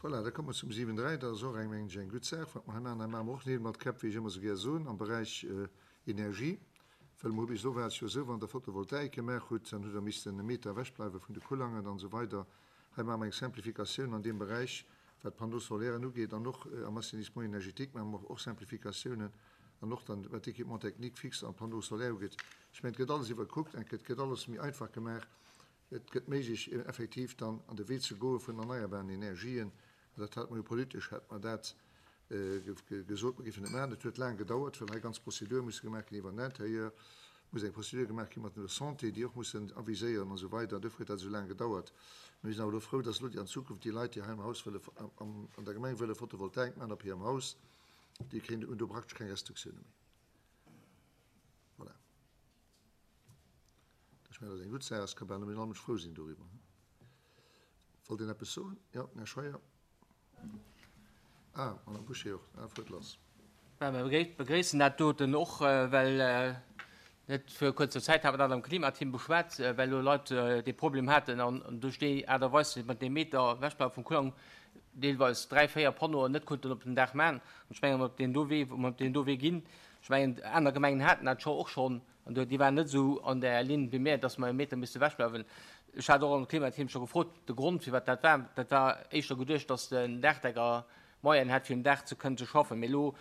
Voilà, da komme mer zum 7,3. Dat ass och eng, mengen ech, eng gutt Saach, wat mer hei maachen. Hei maache mer och Neel mat Käpp, wéi ech ëmmer esou gär soen, am Beräich Energie. Well mer hu bis elo war et jo esou, wann Der Photovoltaik gemaach hutt, dann hutt Der missten e Meter ewechbleiwe vun de Kullangen an esou weider. Hei maache mer eng Simplificatioun an deem Beräich, wat d'Panneaux solairen ugeet, an och am Assainissement énergétique maache mer och Simplificatiounen an och dann, wat d'Équipements techniques fixes an d'Panneaux solaires ugeet. Ech mengen, et gëtt alles iwwerkuckt, et gëtt alles méi einfach gemaach. Et gëtt méiglech, effektiv dann an de Wee ze goe vun erneierbaren Energien. An dat hate mer jo politesch, hate mer dat gesot, mer géifen et maachen. Et huet laang gedauert, well hei ganz Prozedure musse gemaach ginn iwwer den Intérieur, muss eng Prozedur gemaach gi mat der Santé, déi och mussen aviséieren an esou weider. Duerfir huet dat esou laang gedauert. Mir sinn awer elo frou, dass elo déi an Zukunft déi Leit, déi hei am Haus wëlle, an der Gemeng wëlle Photovoltaik maachen op hirem Haus, déi kréien, hunn do praktesch keng Restriktioune méi. Voilà. Ech mengen, dat ass eng gutt Saach. Ech ka bal nëmmen all Mënsch frou sinn doriwwer. Wollt een eppes soen? Jo, den Här Scheuer. Ah, d'Madame Bouché och. Ah, fuert lass. Mä mir begréissen dat doten och, well net vir kuerzer Zäit hat mer dat am Klimateam beschwat, well elo Leit dee Problem haten an duerch déi Aart a Weis mat deem Meter ewechbleiwe vum Kulang deelweis dräi, véier Panneauen net konnten op den Daach maachen. An ech mengen, op deen do Wee, wou mer op deen do Wee ginn, ech mengen, aner Gemengen haten dat scho och schonn, An do, déi waren net esou an där Linn wéi mir, dass mer e Meter misste ewechbleiwen. Ech hat och am Klimateam scho gefrot, de Grond, firwat dat war. Dat war éischter geduecht, dass den Daachdecker Moyenen hätt, fir um Daach ze kënnen ze schaffen. Mee elo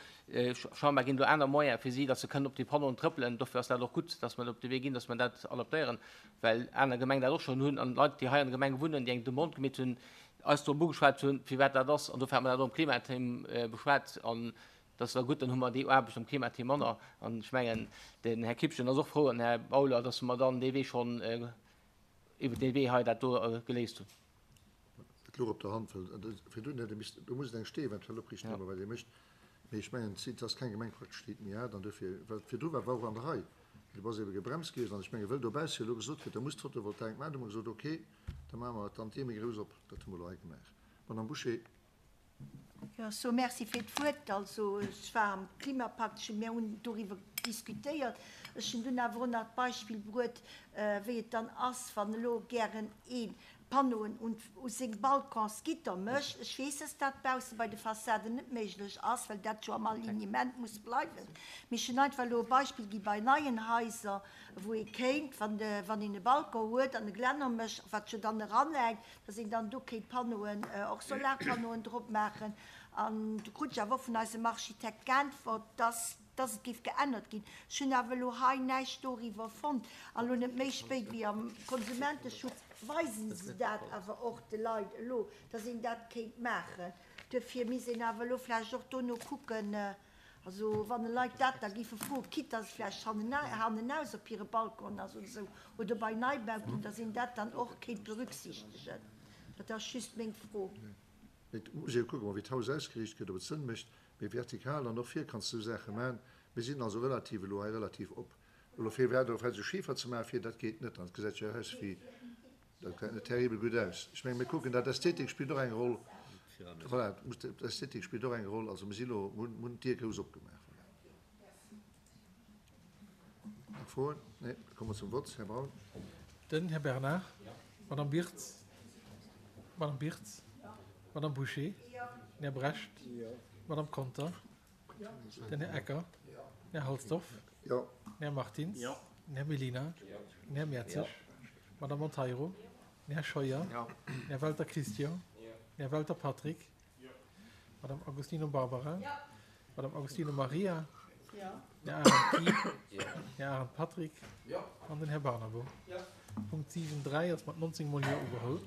scheinbar ginn do aner Moyene fir si, dass se kënnen op déi Panneauen trëppelen. Dofir ass dat och gutt, dass mer op de Wee ginn, dass mer dat adaptéieren, well aner Gemengen dat och schonn hunn an Leit, déi hei an der Gemeng wunnen, déi eng Demande gemeet hunn, eis drop ugeschwat hunn, firwat dat ass. An dofir hat mer dat och am Klimateam beschwat. An Dat ass da gutt, dann hu mer déi Aarbecht am Klimateam manner. An ech mengen, den Här Kipchen ass och frou an den Här Bauler, dass mer dann dee Wee schonn, iwwert dee Wee hei dat do geléist hunn. Et louch op der Hand, well virdrun hätt ee missten, do muss et eng Stee eventuell opriichten, ëmmer wat ee mécht. Mee ech mengen, et ass keng Gemeng praktesch, déi et méi hat. An duerfir, well virdru war, war och an der Rei, mee do ass ebe gebremst gewiescht. An ech menge wëll dobausse elo gesot gëtt, da muss d'Photovoltaik maachen, hu mer gesot, okay, da maache mer et dann d'Dier méi grouss op. Dat hu mer elo hei gemaach. Madame Bouché. Jo, ech soe Merci fir d'Wuert. Also, ech war am Klimapakt, ech hunn, mir hunn doriwwer diskutéiert. Ech hunn dunn awer och nach d'Beispill bruet, wéi et dann ass, wann elo gären ee Panneauen un u seng Balconsgitter mécht. Ech weess, dass dat bausse bei de Fassaden net méiglech ass, well dat jo am Alignement muss bleiwen. Mee ech hunn einfach elo e Beispill gi bei neien Haiser, wou ee kéint, wann de, wann een e Balcon huet an e Glänner mécht, wat jo dann eranhänkt, dass een dann do kéint Panneauen, och Solarpanneauen drop maachen. An du krut ech awer och vun eisem Architekt geäntwert, dass, dass et géif geännert ginn. Ech hunn awer elo hei näischt doriwwer fonnt. An elo net méi spéit wéi am Konsumenteschutz weisen se dat awer och de Leit elo, dass een dat kéint maachen. Duerfir misst een awer elo vläicht och dono kucken, Also wann Leit dat da géife froen, quitte dass et vläicht hannenaus op hire Balcon ass oder esou, oder bei Neibauten, dass een dat dann och kéint berücksichtegen. Dat ass just meng Fro. Et muss ee jo kucken, wéi d'Haus ausgeriicht gëtt, ob et Sënn mécht. Mee vertikal an och vir kanns de esou Saache maachen. Mir sinn also relativ elo hei relativ op. Elo fir iwwerhaapt elo vläicht esou Schifer ze maachen vir, dat geet net. Dat gesäit jo aus wéi. Dat gesäit net terribel gutt aus. Ech mengen, mir kucken dat, d'Ästhetik spillt och eng Roll. Voilà, d'Ästhetik spillt och eng Roll. Also mir si elo, mir hunn d'Dier grouss opgemaach. Voilà. Nach Froen? Nee, da komme mer zum Vott. Här Braun. Den Här Bernard. D'Madame Birtz. D'Madame Birtz. D'Madame Bouché. Den Här Brecht. D'Madame Conter. Den Här Ecker. Den Här Halsdorf. Den Här Martins. Den Här Mellina. Den Här Mertzig. D'Madame Monteiro. Den Här Scheuer. Den Här Welter Christian. Den Här Welter Patrick. D'Madame Agostino Barbara. D'Madame Agostino Maria. Den Här Arendt Guy. Den Här Arendt Patrick. An den Här Barnabo. Punkt 7, 3 ass mat 19 mol Jo ugeholl.